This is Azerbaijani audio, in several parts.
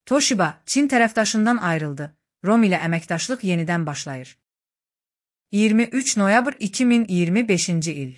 Toshiba, Çin tərəfdaşından ayrıldı. ROM ilə əməkdaşlıq yenidən başlayır. 23 noyabr 2025-ci il.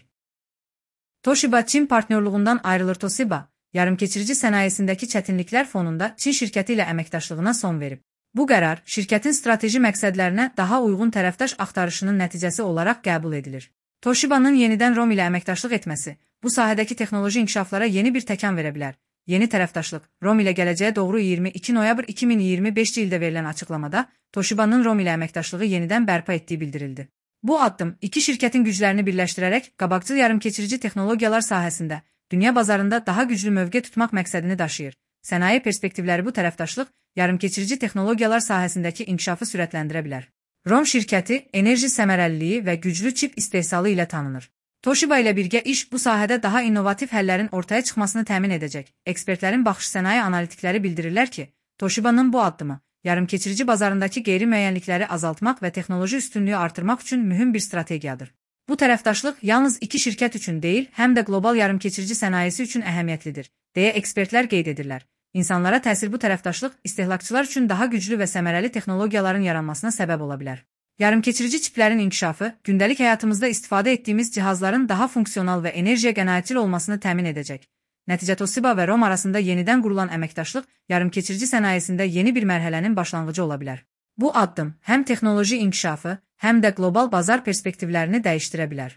Toshiba, Çin partnyorluğundan ayrılır. Toshiba, yarımkeçirici sənayesindəki çətinliklər fonunda Çin şirkəti ilə əməkdaşlığına son verib. Bu qərar, şirkətin strateji məqsədlərinə daha uyğun tərəfdaş axtarışının nəticəsi olaraq qəbul edilir. Toshiba'nın yenidən ROM ilə əməkdaşlıq etməsi, bu sahədəki texnoloji inkişaflara yeni bir təkan verə bilər. Yeni tərəfdaşlıq, ROM ilə gələcəyə doğru 22 noyabr 2025-ci ildə verilən açıqlamada Toshiba'nın ROM ilə əməkdaşlığı yenidən bərpa etdiyi bildirildi. Bu addım, iki şirkətin güclərini birləşdirərək qabaqcıl yarımkeçirici texnologiyalar sahəsində dünya bazarında daha güclü mövqe tutmaq məqsədini daşıyır. Sənaye perspektivləri bu tərəfdaşlıq, yarımkeçirici texnologiyalar sahəsindəki inkişafı sürətləndirə bilər. ROM şirkəti, enerji səmərəliliyi və güclü çip istehsalı ilə tanınır. Toshiba ilə birgə iş bu sahədə daha innovativ həllərin ortaya çıxmasını təmin edəcək. Ekspertlərin baxış sənaye analitikləri bildirirlər ki, Toshiba'nın bu addımı, yarımkeçirici bazarındakı qeyri-müəyyənlikləri azaltmaq və texnoloji üstünlüyü artırmaq üçün mühüm bir strategiyadır. Bu tərəfdaşlıq yalnız iki şirkət üçün deyil, həm də qlobal yarımkeçirici sənayesi üçün əhəmiyyətlidir, deyə ekspertlər qeyd edirlər. İnsanlara təsir bu tərəfdaşlıq istehlakçılar üçün daha güclü və səmərəli texnologiyaların yaranmasına səbəb ola bilər. Yarımkeçirici çiplərin inkişafı, gündəlik həyatımızda istifadə etdiyimiz cihazların daha funksional və enerjiyə qənaətçil olmasını təmin edəcək. Nəticə Toshiba və ROM arasında yenidən qurulan əməkdaşlıq, yarımkeçirici sənayesində yeni bir mərhələnin başlanğıcı ola bilər. Bu addım həm texnoloji inkişafı, həm də qlobal bazar perspektivlərini dəyişdirə bilər.